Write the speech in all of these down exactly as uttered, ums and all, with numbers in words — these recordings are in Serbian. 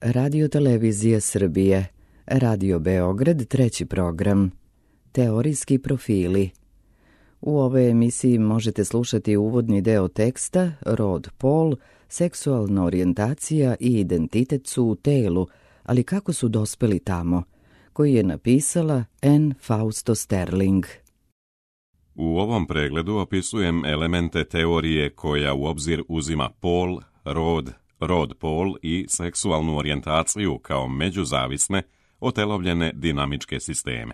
Radio Televizije Srbije, Radio Beograd, treći program, Teorijski profili. U ovoj emisiji možete slušati uvodni deo teksta Rod, pol, seksualna orijentacija i identitet su u telu, ali kako su dospeli tamo, koji je napisala Anne Fausto Sterling. U ovom pregledu opisujem elemente teorije koja u obzir uzima pol, rod, rod-pol i seksualnu orijentaciju kao međuzavisne, otelovljene dinamičke sisteme.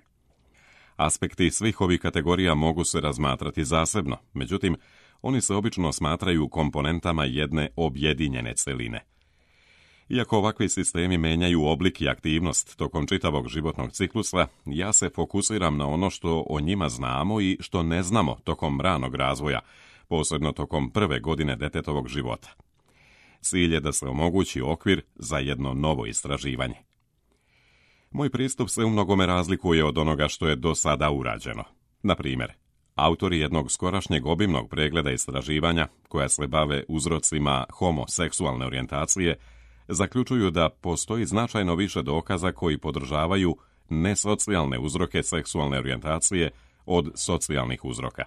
Aspekti svih ovih kategorija mogu se razmatrati zasebno, međutim, oni se obično smatraju komponentama jedne objedinjene celine. Iako ovakvi sistemi menjaju oblik i aktivnost tokom čitavog životnog ciklusa, ja se fokusiram na ono što o njima znamo i što ne znamo tokom ranog razvoja, posebno tokom prve godine detetovog života. Cilj je da se omogući okvir za jedno novo istraživanje. Moj pristup se u mnogome razlikuje od onoga što je do sada urađeno. Na primjer, autori jednog skorašnjeg obimnog pregleda istraživanja, koja se bave uzrocima homoseksualne orijentacije, zaključuju da postoji značajno više dokaza koji podržavaju nesocijalne uzroke seksualne orijentacije od socijalnih uzroka.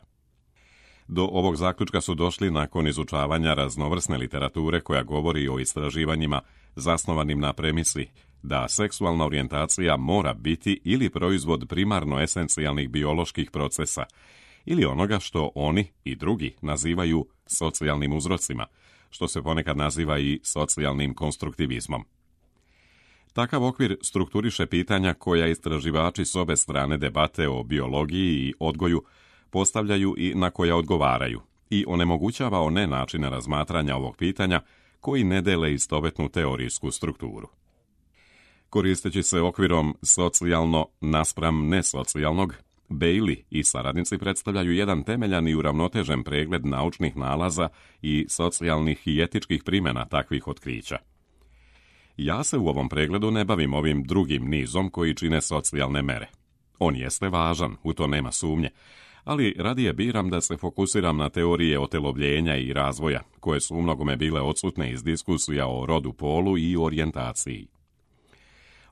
Do ovog zaključka su došli nakon izučavanja raznovrsne literature koja govori o istraživanjima zasnovanim na premisi da seksualna orijentacija mora biti ili proizvod primarno esencijalnih bioloških procesa ili onoga što oni i drugi nazivaju socijalnim uzrocima, što se ponekad naziva i socijalnim konstruktivizmom. Takav okvir strukturiše pitanja koja istraživači s obe strane debate o biologiji i odgoju postavljaju i na koja odgovaraju i onemogućava one načine razmatranja ovog pitanja koji ne dele istovetnu teorijsku strukturu. Koristeći se okvirom socijalno naspram nesocijalnog, Bailey i saradnici predstavljaju jedan temeljan i uravnotežen pregled naučnih nalaza i socijalnih i etičkih primjena takvih otkrića. Ja se u ovom pregledu ne bavim ovim drugim nizom koji čine socijalne mere. On jeste važan, u to nema sumnje, ali radije biram da se fokusiram na teorije otelovljenja i razvoja, koje su umnogome bile odsutne iz diskusija o rodu, polu i orijentaciji.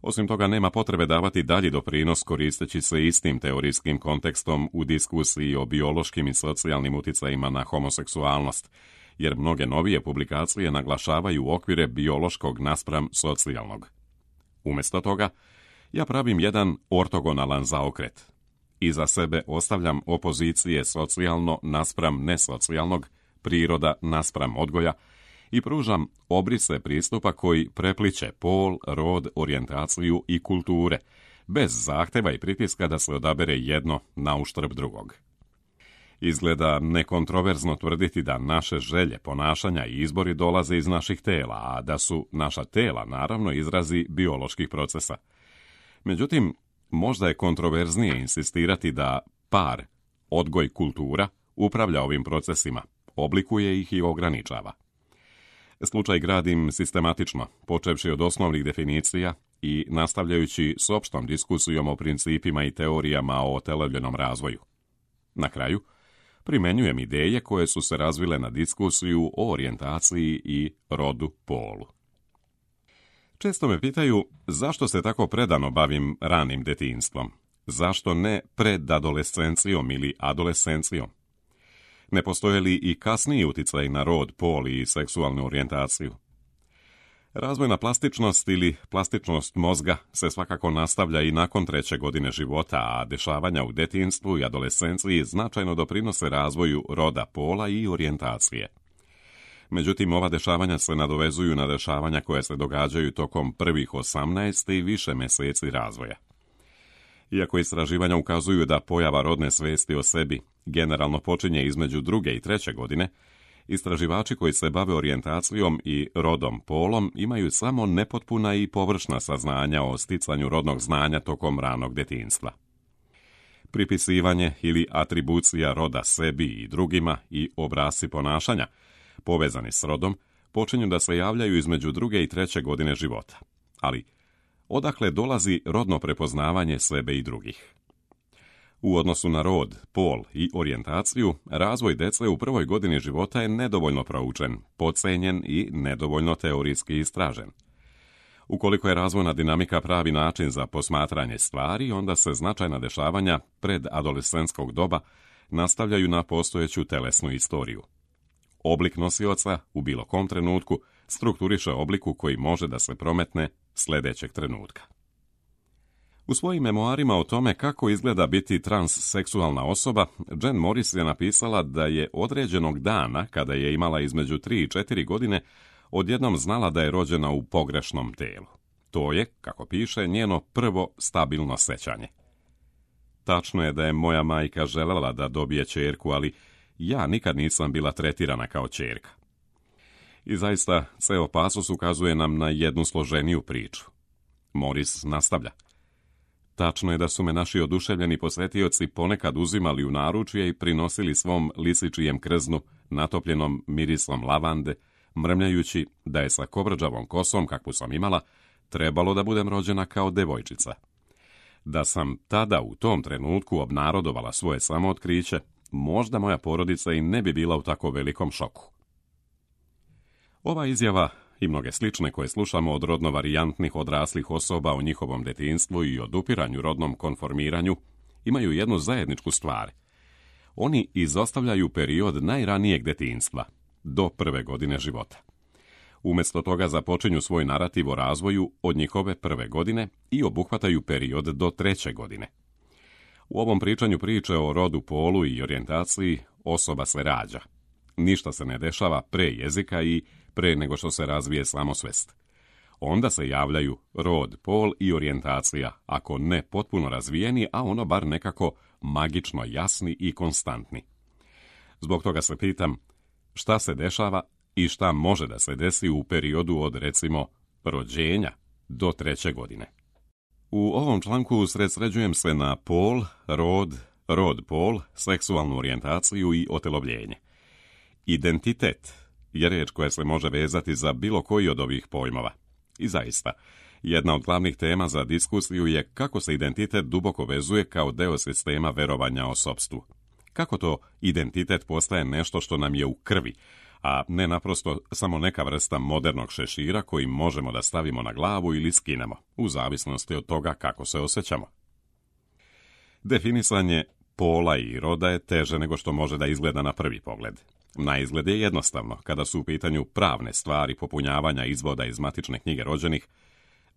Osim toga, nema potrebe davati dalji doprinos koristeći se istim teorijskim kontekstom u diskusiji o biološkim i socijalnim uticajima na homoseksualnost, jer mnoge novije publikacije naglašavaju okvire biološkog naspram socijalnog. Umjesto toga, ja pravim jedan ortogonalan zaokret. Iza sebe ostavljam opozicije socijalno naspram nesocijalnog, priroda naspram odgoja i pružam obrise pristupa koji prepliče pol, rod, orijentaciju i kulture, bez zahteva i pritiska da se odabere jedno na uštrb drugog. Izgleda nekontroverzno tvrditi da naše želje, ponašanja i izbori dolaze iz naših tela, a da su naša tela naravno izrazi bioloških procesa. Međutim, možda je kontroverznije insistirati da par, odgoj, kultura upravlja ovim procesima, oblikuje ih i ograničava. Slučaj gradim sistematično, počevši od osnovnih definicija i nastavljajući s opštom diskusijom o principima i teorijama o otelovljenom razvoju. Na kraju, primenjujem ideje koje su se razvile na diskusiju o orijentaciji i rodu, polu. Često me pitaju zašto se tako predano bavim ranim detinjstvom, zašto ne predadolescencijom ili adolescencijom. Ne postoje li i kasniji uticaj na rod, pol i seksualnu orijentaciju? Razvojna plastičnost ili plastičnost mozga se svakako nastavlja i nakon treće godine života, a dešavanja u detinjstvu i adolescenciji značajno doprinose razvoju roda, pola i orijentacije. Međutim, ova dešavanja se nadovezuju na dešavanja koje se događaju tokom prvih osamnaest i više mjeseci razvoja. Iako istraživanja ukazuju da pojava rodne svesti o sebi generalno počinje između druge i treće godine, istraživači koji se bave orijentacijom i rodom, polom imaju samo nepotpuna i površna saznanja o sticanju rodnog znanja tokom ranog detinjstva. Pripisivanje ili atribucija roda sebi i drugima i obrasci ponašanja povezani s rodom počinju da se javljaju između druge i treće godine života. Ali odakle dolazi rodno prepoznavanje sebe i drugih? U odnosu na rod, pol i orijentaciju, razvoj dece u prvoj godini života je nedovoljno proučen, podcenjen i nedovoljno teorijski istražen. Ukoliko je razvojna dinamika pravi način za posmatranje stvari, onda se značajna dešavanja pred adolescentskog doba nastavljaju na postojeću telesnu istoriju. Oblik nosioca u bilo kom trenutku strukturiše obliku koji može da se prometne sljedećeg trenutka. U svojim memoarima o tome kako izgleda biti transseksualna osoba, Jen Morris je napisala da je određenog dana, kada je imala između tri i četiri godine, odjednom znala da je rođena u pogrešnom telu. To je, kako piše, njeno prvo stabilno sećanje. Tačno je da je moja majka željela da dobije ćerku, ali ja nikad nisam bila tretirana kao ćerka. I zaista, ceo pasus ukazuje nam na jednu složeniju priču. Morris nastavlja. Tačno je da su me naši oduševljeni posvetioci ponekad uzimali u naručje i prinosili svom lisičijem krznu natopljenom mirisom lavande, mrmljajući da je sa kobrđavom kosom, kakvu sam imala, trebalo da budem rođena kao devojčica. Da sam tada u tom trenutku obnarodovala svoje samootkriće, možda moja porodica i ne bi bila u tako velikom šoku. Ova izjava i mnoge slične koje slušamo od rodno varijantnih odraslih osoba o njihovom detinjstvu i odupiranju rodnom konformiranju imaju jednu zajedničku stvar. Oni izostavljaju period najranijeg detinjstva, do prve godine života. Umjesto toga započinju svoj narativ o razvoju od njihove prve godine i obuhvataju period do treće godine. U ovom pričanju priče o rodu, polu i orijentaciji osoba se rađa. Ništa se ne dešava pre jezika i pre nego što se razvije samosvest. Onda se javljaju rod, pol i orijentacija, ako ne potpuno razvijeni, a ono bar nekako magično jasni i konstantni. Zbog toga se pitam, šta se dešava i šta može da se desi u periodu od, recimo, rođenja do treće godine. U ovom članku usredsređujem se na pol, rod, rod, pol, seksualnu orijentaciju i otelovljenje. Identitet je riječ koja se može vezati za bilo koji od ovih pojmova. I zaista, jedna od glavnih tema za diskusiju je kako se identitet duboko vezuje kao deo sistema verovanja o sopstvu. Kako to identitet postaje nešto što nam je u krvi, a ne naprosto samo neka vrsta modernog šešira koji možemo da stavimo na glavu ili skinemo, u zavisnosti od toga kako se osjećamo. Definisanje pola i roda je teže nego što može da izgleda na prvi pogled. Na izgled je jednostavno, kada su u pitanju pravne stvari popunjavanja izvoda iz matične knjige rođenih.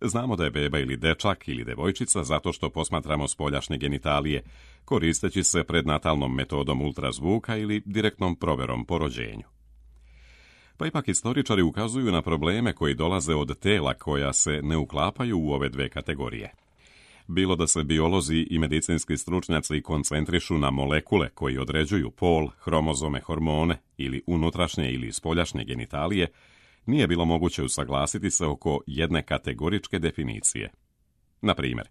Znamo da je beba ili dečak ili devojčica zato što posmatramo spoljašnje genitalije, koristeći se prednatalnom metodom ultrazvuka ili direktnom proverom po rođenju. Pa ipak istoričari ukazuju na probleme koji dolaze od tela koja se ne uklapaju u ove dve kategorije. Bilo da se biolozi i medicinski stručnjaci koncentrišu na molekule koji određuju pol, hromozome, hormone ili unutrašnje ili spoljašnje genitalije, nije bilo moguće usaglasiti se oko jedne kategoričke definicije. Na primjer,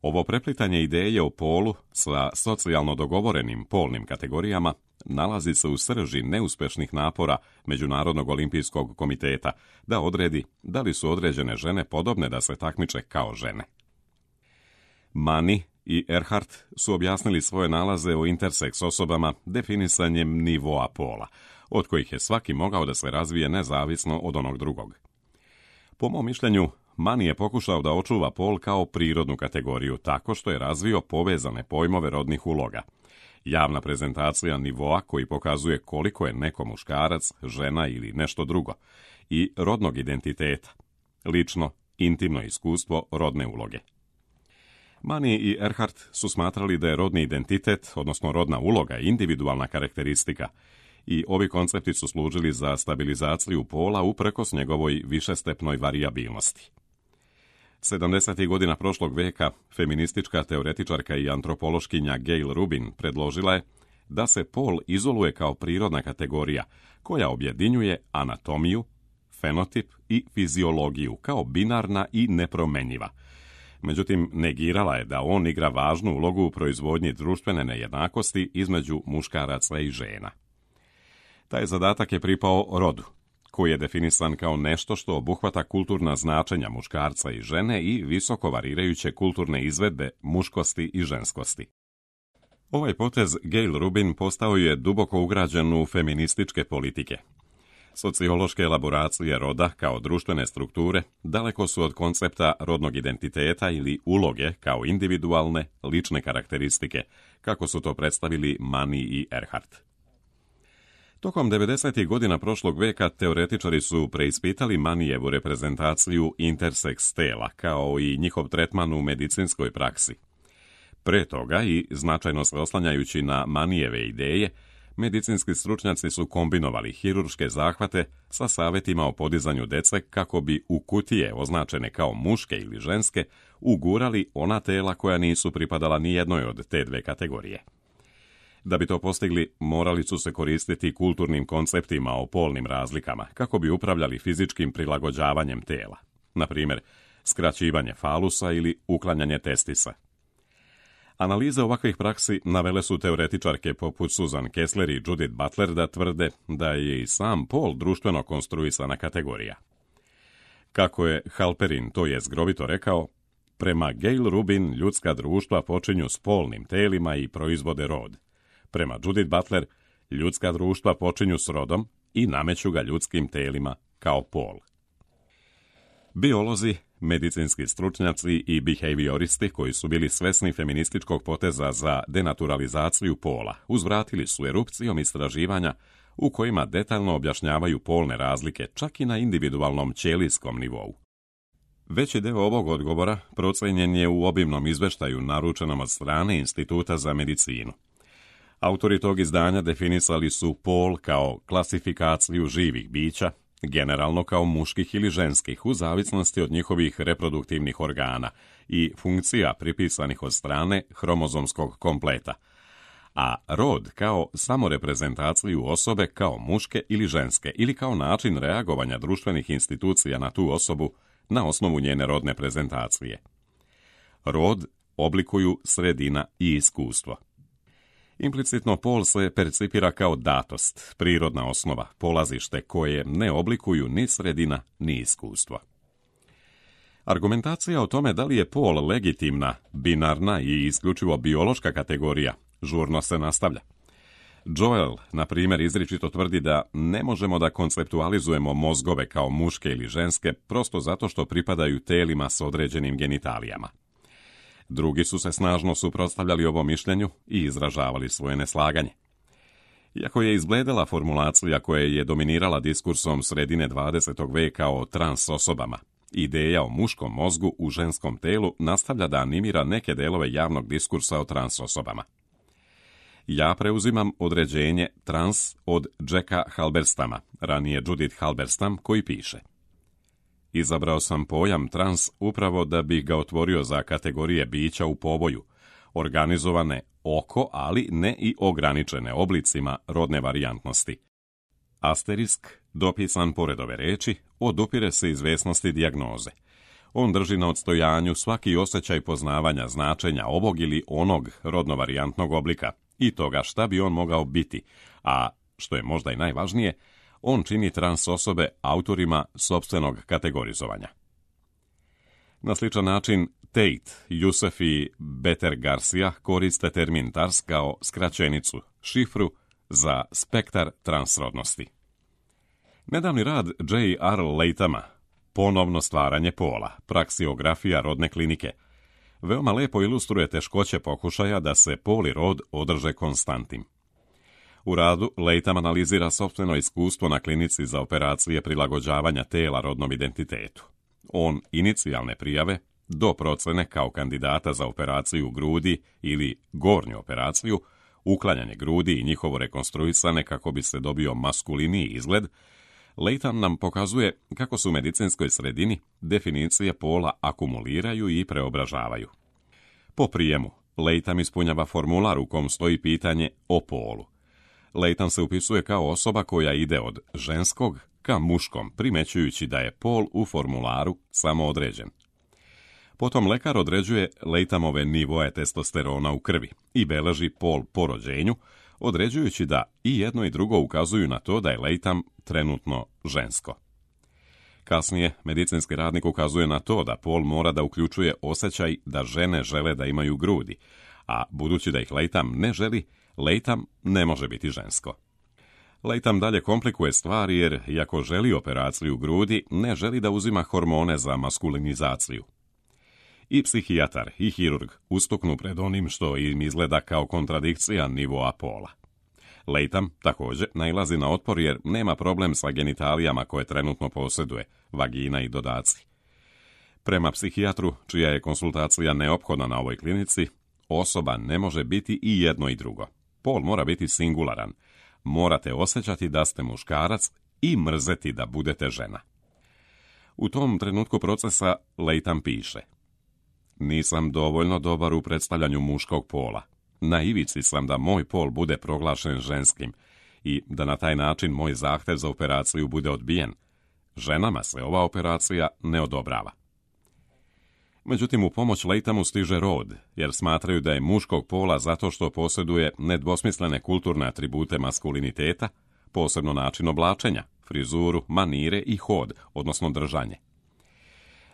ovo preplitanje ideje o polu sa socijalno dogovorenim polnim kategorijama nalazi se u srži neuspešnih napora Međunarodnog olimpijskog komiteta da odredi da li su određene žene podobne da se takmiče kao žene. Mani i Earhart su objasnili svoje nalaze o interseks osobama definisanjem nivoa pola, od kojih je svaki mogao da se razvije nezavisno od onog drugog. Po mom mišljenju, Mani je pokušao da očuva pol kao prirodnu kategoriju tako što je razvio povezane pojmove rodnih uloga. Javna prezentacija nivoa koji pokazuje koliko je neko muškarac, žena ili nešto drugo, i rodnog identiteta, lično, intimno iskustvo rodne uloge. Mani i Earhart su smatrali da je rodni identitet, odnosno rodna uloga, individualna karakteristika, i ovi koncepti su služili za stabilizaciju pola uprkos njegovoj višestepnoj varijabilnosti. sedamdesetih godina prošlog veka feministička teoretičarka i antropološkinja Gail Rubin predložila je da se pol izoluje kao prirodna kategorija koja objedinjuje anatomiju, fenotip i fiziologiju kao binarna i nepromenjiva. Međutim, negirala je da on igra važnu ulogu u proizvodnji društvene nejednakosti između muškaraca i žena. Taj zadatak je pripao rodu, koji je definisan kao nešto što obuhvata kulturna značenja muškarca i žene i visoko varirajuće kulturne izvedbe muškosti i ženskosti. Ovaj potez Gail Rubin postao je duboko ugrađen u feminističke politike. Sociološke elaboracije roda kao društvene strukture daleko su od koncepta rodnog identiteta ili uloge kao individualne, lične karakteristike, kako su to predstavili Mani i Erhardt. Tokom devedesetih godina prošlog veka teoretičari su preispitali Manijevu reprezentaciju interseks tela, kao i njihov tretman u medicinskoj praksi. Pre toga i značajno se oslanjajući na Manijeve ideje, medicinski stručnjaci su kombinovali hirurške zahvate sa savjetima o podizanju dece kako bi u kutije označene kao muške ili ženske ugurali ona tela koja nisu pripadala ni jednoj od te dve kategorije. Da bi to postigli, morali su se koristiti kulturnim konceptima o polnim razlikama kako bi upravljali fizičkim prilagođavanjem tela, na primjer skraćivanje falusa ili uklanjanje testisa. Analize ovakvih praksi navele su teoretičarke poput Susan Kessler i Judith Butler da tvrde da je i sam pol društveno konstruisana kategorija. Kako je Halperin to je zgrovito rekao, prema Gail Rubin ljudska društva počinju s polnim telima i proizvode rod. Prema Judith Butler, ljudska društva počinju s rodom i nameću ga ljudskim telima kao pol. Biolozi, medicinski stručnjaci i behavioristi koji su bili svesni feminističkog poteza za denaturalizaciju pola uzvratili su erupcijom istraživanja u kojima detaljno objašnjavaju polne razlike čak i na individualnom ćelijskom nivou. Veći deo ovog odgovora procenjen je u obimnom izveštaju naručenom od strane Instituta za medicinu. Autori tog izdanja definisali su pol kao klasifikaciju živih bića, generalno kao muških ili ženskih, u zavisnosti od njihovih reproduktivnih organa i funkcija pripisanih od strane hromozomskog kompleta, a rod kao samoreprezentaciju osobe kao muške ili ženske ili kao način reagovanja društvenih institucija na tu osobu na osnovu njene rodne prezentacije. Rod oblikuju sredina i iskustvo. Implicitno pol se percipira kao datost, prirodna osnova, polazište koje ne oblikuju ni sredina ni iskustvo. Argumentacija o tome da li je pol legitimna, binarna i isključivo biološka kategorija žurno se nastavlja. Joel, na primjer, izričito tvrdi da ne možemo da konceptualizujemo mozgove kao muške ili ženske prosto zato što pripadaju telima s određenim genitalijama. Drugi su se snažno suprotstavljali ovom mišljenju i izražavali svoje neslaganje. Iako je izbledela formulacija koja je dominirala diskursom sredine dvadesetog veka o trans osobama, ideja o muškom mozgu u ženskom telu nastavlja da animira neke delove javnog diskursa o trans osobama. Ja preuzimam određenje trans od Jacka Halberstama, ranije Judith Halberstam, koji piše: izabrao sam pojam trans upravo da bih ga otvorio za kategorije bića u poboju, organizovane oko, ali ne i ograničene oblicima rodne varijantnosti. Asterisk, dopisan pored ove reči, odupire se izvesnosti dijagnoze. On drži na odstojanju svaki osjećaj poznavanja značenja ovog ili onog rodno-varijantnog oblika i toga šta bi on mogao biti, a, što je možda i najvažnije, on čini trans osobe autorima sopstvenog kategorizovanja. Na sličan način Tate, Youssef i Beter Garcia koriste termin tars kao skraćenicu, šifru za spektar transrodnosti. Nedavni rad J R Latama, Ponovno stvaranje pola, praksiografija rodne klinike, veoma lepo ilustruje teškoće pokušaja da se pol i rod održe konstantnim. U radu Latham analizira sopstveno iskustvo na klinici za operacije prilagođavanja tela rodnom identitetu. On inicijalne prijave do procene kao kandidata za operaciju grudi ili gornju operaciju, uklanjanje grudi i njihovo rekonstruisane kako bi se dobio maskuliniji izgled, Latham nam pokazuje kako su u medicinskoj sredini definicije pola akumuliraju i preobražavaju. Po prijemu, Latham ispunjava formular u kom stoji pitanje o polu. Latham se upisuje kao osoba koja ide od ženskog ka muškom, primećujući da je pol u formularu samo određen. Potom lekar određuje Lathamove nivoe testosterona u krvi i beleži pol po rođenju, određujući da i jedno i drugo ukazuju na to da je Latham trenutno žensko. Kasnije, medicinski radnik ukazuje na to da pol mora da uključuje osjećaj da žene žele da imaju grudi, a budući da ih Latham ne želi, Latham ne može biti žensko. Latham dalje komplikuje stvari jer, iako želi operaciju grudi, ne želi da uzima hormone za maskulinizaciju. I psihijatar i hirurg ustuknu pred onim što im izgleda kao kontradikcija nivoa pola. Latham također nailazi na otpor jer nema problem sa genitalijama koje trenutno posjeduje, vagina i dodaci. Prema psihijatru, čija je konsultacija neophodna na ovoj klinici, osoba ne može biti i jedno i drugo. Pol mora biti singularan. Morate osjećati da ste muškarac i mrzeti da budete žena. U tom trenutku procesa Latham piše: nisam dovoljno dobar u predstavljanju muškog pola. Na ivici sam da moj pol bude proglašen ženskim i da na taj način moj zahtjev za operaciju bude odbijen. Ženama se ova operacija ne odobrava. Međutim, u pomoć Lathamu stiže rod, jer smatraju da je muškog pola zato što posjeduje nedvosmislene kulturne atribute maskuliniteta, posebno način oblačenja, frizuru, manire i hod, odnosno držanje.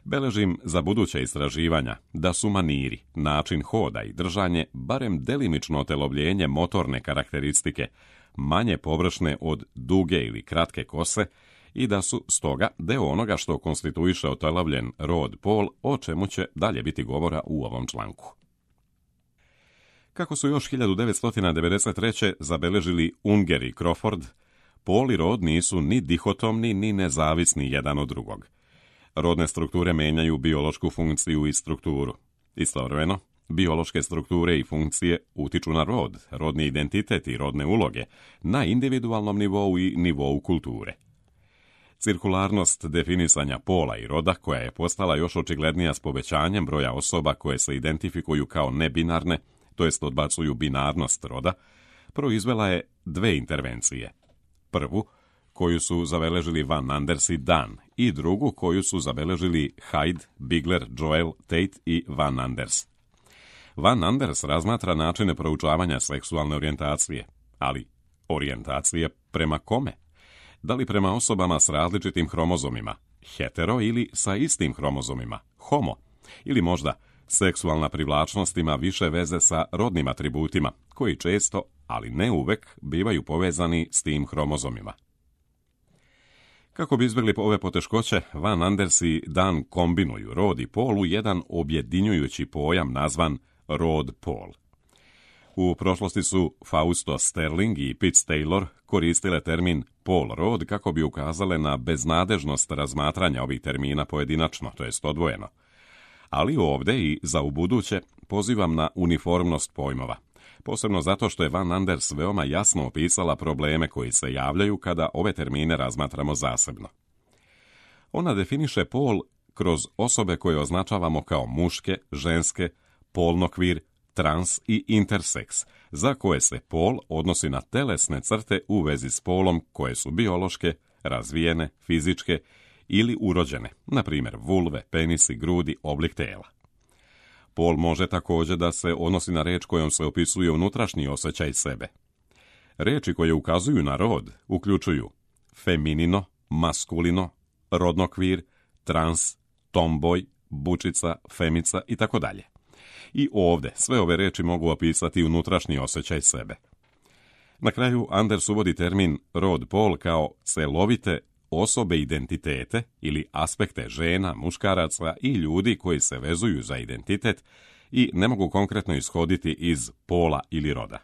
Beležim za buduća istraživanja da su maniri, način hoda i držanje barem delimično otelovljenje motorne karakteristike, manje površne od duge ili kratke kose i da su stoga deo onoga što konstituiše otelovljen rod pol, o čemu će dalje biti govora u ovom članku. Kako su još hiljadu devetsto devedeset treće zabeležili Unger i Crawford, pol i rod nisu ni dihotomni ni nezavisni jedan od drugog. Rodne strukture menjaju biološku funkciju i strukturu. Istovremeno, biološke strukture i funkcije utiču na rod, rodni identitet i rodne uloge, na individualnom nivou i nivou kulture. Cirkularnost definisanja pola i roda, koja je postala još očiglednija s povećanjem broja osoba koje se identifikuju kao nebinarne, to jest odbacuju binarnost roda, proizvela je dve intervencije. Prvu, koju su zabeležili Van Anders i Dan, i drugu koju su zabeležili Hyde, Bigler, Joel, Tate i Van Anders. Van Anders razmatra načine proučavanja seksualne orijentacije, ali orijentacije prema kome? Da li prema osobama s različitim hromozomima, hetero, ili sa istim hromozomima, homo, ili možda seksualna privlačnost ima više veze sa rodnim atributima, koji često, ali ne uvek, bivaju povezani s tim hromozomima. Kako bi izbjegli ove poteškoće, Van Anders i Dan kombinuju rod i pol u jedan objedinjujući pojam nazvan rod-pol. U prošlosti su Fausto Sterling i Pitts Taylor koristile termin pol-rod kako bi ukazale na beznadežnost razmatranja ovih termina pojedinačno, to jest odvojeno. Ali ovdje i za ubuduće pozivam na uniformnost pojmova, posebno zato što je Van Anders veoma jasno opisala probleme koji se javljaju kada ove termine razmatramo zasebno. Ona definiše pol kroz osobe koje označavamo kao muške, ženske, polnokvir, trans i interseks, za koje se pol odnosi na telesne crte u vezi s polom koje su biološke, razvijene, fizičke ili urođene, na primjer vulve, penisi, grudi, oblik tela. Pol može također da se odnosi na reč kojom se opisuje unutrašnji osjećaj sebe. Reči koje ukazuju na rod uključuju feminino, maskulino, rodnokvir, trans, tomboj, bučica, femica i tako dalje. I ovdje sve ove reči mogu opisati unutrašnji osjećaj sebe. Na kraju Anders uvodi termin rod-pol kao celovite osobe identitete ili aspekte žena, muškaraca i ljudi koji se vezuju za identitet i ne mogu konkretno ishoditi iz pola ili roda.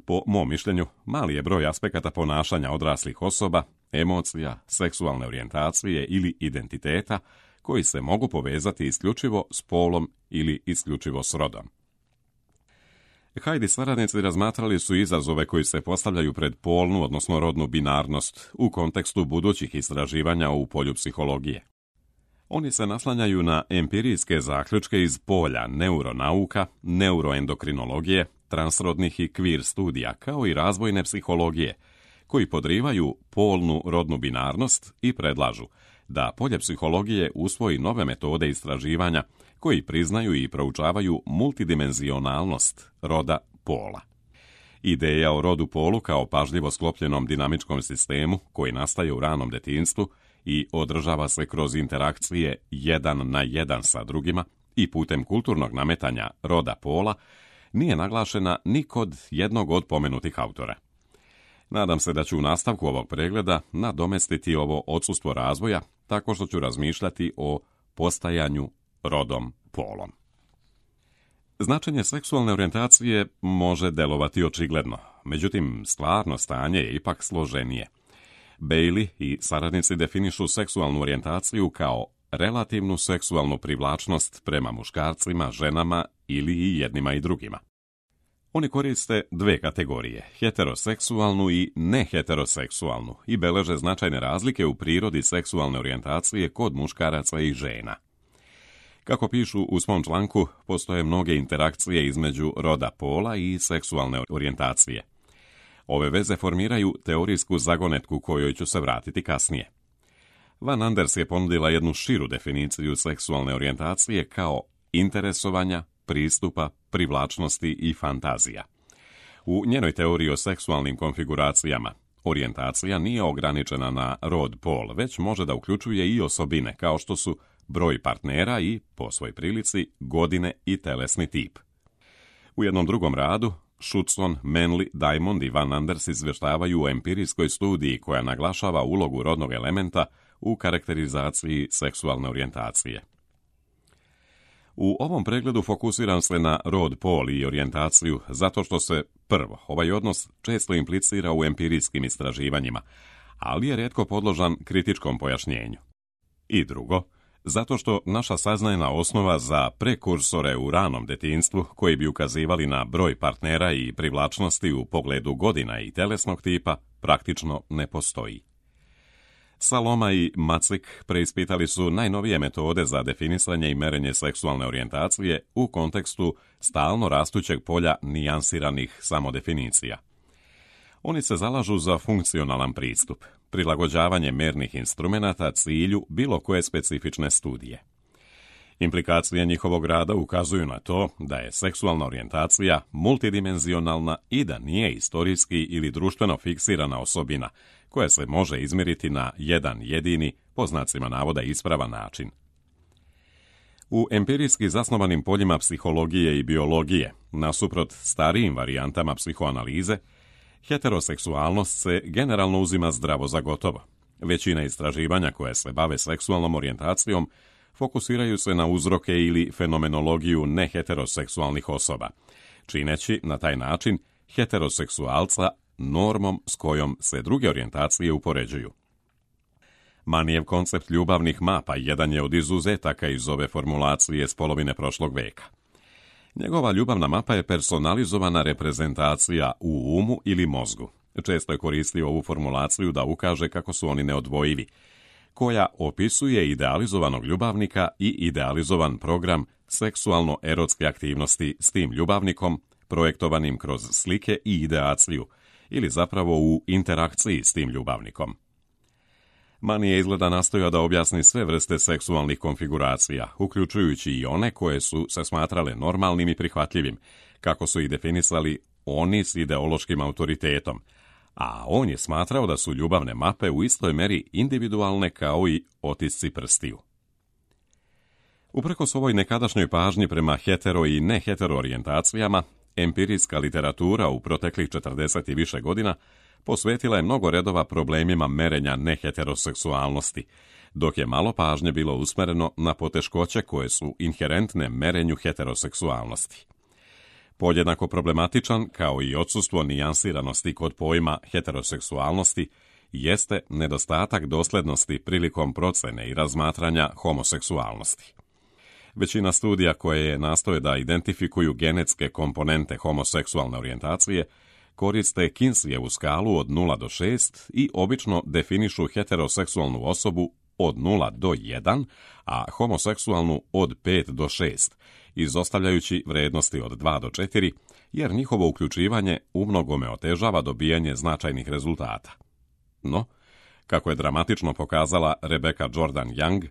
Po mom mišljenju, mali je broj aspekata ponašanja odraslih osoba, emocija, seksualne orijentacije ili identiteta koji se mogu povezati isključivo s polom ili isključivo s rodom. Hyde i saradnici razmatrali su izazove koji se postavljaju pred polnu, odnosno rodnu binarnost u kontekstu budućih istraživanja u polju psihologije. Oni se naslanjaju na empirijske zaključke iz polja neuronauka, neuroendokrinologije, transrodnih i queer studija, kao i razvojne psihologije, koji podrivaju polnu rodnu binarnost i predlažu da polje psihologije usvoji nove metode istraživanja koji priznaju i proučavaju multidimenzionalnost roda pola. Ideja o rodu polu kao pažljivo sklopljenom dinamičkom sistemu koji nastaje u ranom detinjstvu i održava se kroz interakcije jedan na jedan sa drugima i putem kulturnog nametanja roda pola nije naglašena ni kod jednog od pomenutih autora. Nadam se da ću u nastavku ovog pregleda nadomestiti ovo odsustvo razvoja tako što ću razmišljati o postajanju rodom polom. Značenje seksualne orijentacije može delovati očigledno, međutim stvarno stanje je ipak složenije. Bailey i saradnici definišu seksualnu orijentaciju kao relativnu seksualnu privlačnost prema muškarcima, ženama ili i jednima i drugima. Oni koriste dve kategorije, heteroseksualnu i neheteroseksualnu, i beleže značajne razlike u prirodi seksualne orijentacije kod muškaraca i žena. Kako pišu u svom članku, postoje mnoge interakcije između roda pola i seksualne orijentacije. Ove veze formiraju teorijsku zagonetku kojoj ću se vratiti kasnije. Van Anders je ponudila jednu širu definiciju seksualne orijentacije kao interesovanja, pristupa, privlačnosti i fantazija. U njenoj teoriji o seksualnim konfiguracijama, orijentacija nije ograničena na rod pol, već može da uključuje i osobine kao što su broj partnera i, po svoj prilici, godine i telesni tip. U jednom drugom radu, Schutzon, Manley, Diamond i Van Anders izvještavaju o empirijskoj studiji koja naglašava ulogu rodnog elementa u karakterizaciji seksualne orijentacije. U ovom pregledu fokusiram se na rod pol i orijentaciju zato što se, prvo, ovaj odnos često implicira u empirijskim istraživanjima, ali je rijetko podložan kritičkom pojašnjenju. I drugo, zato što naša saznajna osnova za prekursore u ranom detinjstvu koji bi ukazivali na broj partnera i privlačnosti u pogledu godina i telesnog tipa praktično ne postoji. Saloma i Macik preispitali su najnovije metode za definisanje i merenje seksualne orijentacije u kontekstu stalno rastućeg polja nijansiranih samodefinicija. Oni se zalažu za funkcionalan pristup, prilagođavanje mernih instrumenata cilju bilo koje specifične studije. Implikacije njihovog rada ukazuju na to da je seksualna orijentacija multidimenzionalna i da nije istorijski ili društveno fiksirana osobina koja se može izmjeriti na jedan jedini, po znacima navoda ispravan način. U empirijski zasnovanim poljima psihologije i biologije, nasuprot starijim varijantama psihoanalize, heteroseksualnost se generalno uzima zdravo za gotovo. Većina istraživanja koje se bave seksualnom orijentacijom fokusiraju se na uzroke ili fenomenologiju neheteroseksualnih osoba, čineći na taj način heteroseksualca normom s kojom se druge orijentacije upoređuju. Manijev koncept ljubavnih mapa jedan je od izuzetaka iz ove formulacije s polovine prošlog veka. Njegova ljubavna mapa je personalizovana reprezentacija u umu ili mozgu. Često je koristio ovu formulaciju da ukaže kako su oni neodvojivi, koja opisuje idealizovanog ljubavnika i idealizovan program seksualno-erotske aktivnosti s tim ljubavnikom, projektovanim kroz slike i ideaciju, ili zapravo u interakciji s tim ljubavnikom. Mani je izgleda nastojao da objasni sve vrste seksualnih konfiguracija, uključujući i one koje su se smatrale normalnim i prihvatljivim, kako su ih definisali oni s ideološkim autoritetom, a on je smatrao da su ljubavne mape u istoj meri individualne kao i otisci prstiju. Uprkos ovoj nekadašnjoj pažnji prema hetero i nehetero orijentacijama, empirijska literatura u proteklih četrdeset i više godina posvetila je mnogo redova problemima merenja neheteroseksualnosti, dok je malo pažnje bilo usmereno na poteškoće koje su inherentne merenju heteroseksualnosti. Podjednako problematičan, kao i odsustvo nijansiranosti kod pojma heteroseksualnosti, jeste nedostatak dosljednosti prilikom procene i razmatranja homoseksualnosti. Većina studija koje nastoje da identifikuju genetske komponente homoseksualne orijentacije koriste Kinsleyevu skalu od nula do šest i obično definišu heteroseksualnu osobu od nula do jedan, a homoseksualnu od pet do šest, izostavljajući vrednosti od dva do četiri, jer njihovo uključivanje umnogome otežava dobijanje značajnih rezultata. No, kako je dramatično pokazala Rebecca Jordan Young,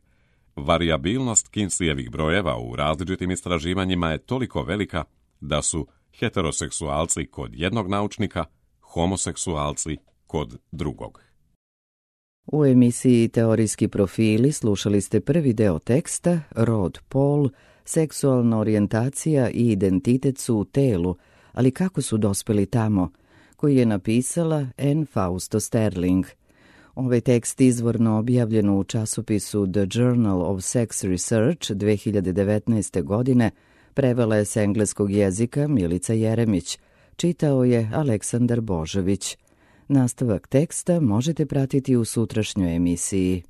varijabilnost Kinsleyevih brojeva u različitim istraživanjima je toliko velika da su heteroseksualci kod jednog naučnika, homoseksualci kod drugog. U emisiji Teorijski profili slušali ste prvi deo teksta Rod, pol, seksualna orijentacija i identitet su u telu, ali kako su dospeli tamo, koji je napisala Anne Fausto Sterling. Ovaj tekst izvorno objavljen u časopisu The Journal of Sex Research dve hiljade devetnaeste. godine prevela je s engleskog jezika Milica Jeremić, čitao je Aleksandar Božović. Nastavak teksta možete pratiti u sutrašnjoj emisiji.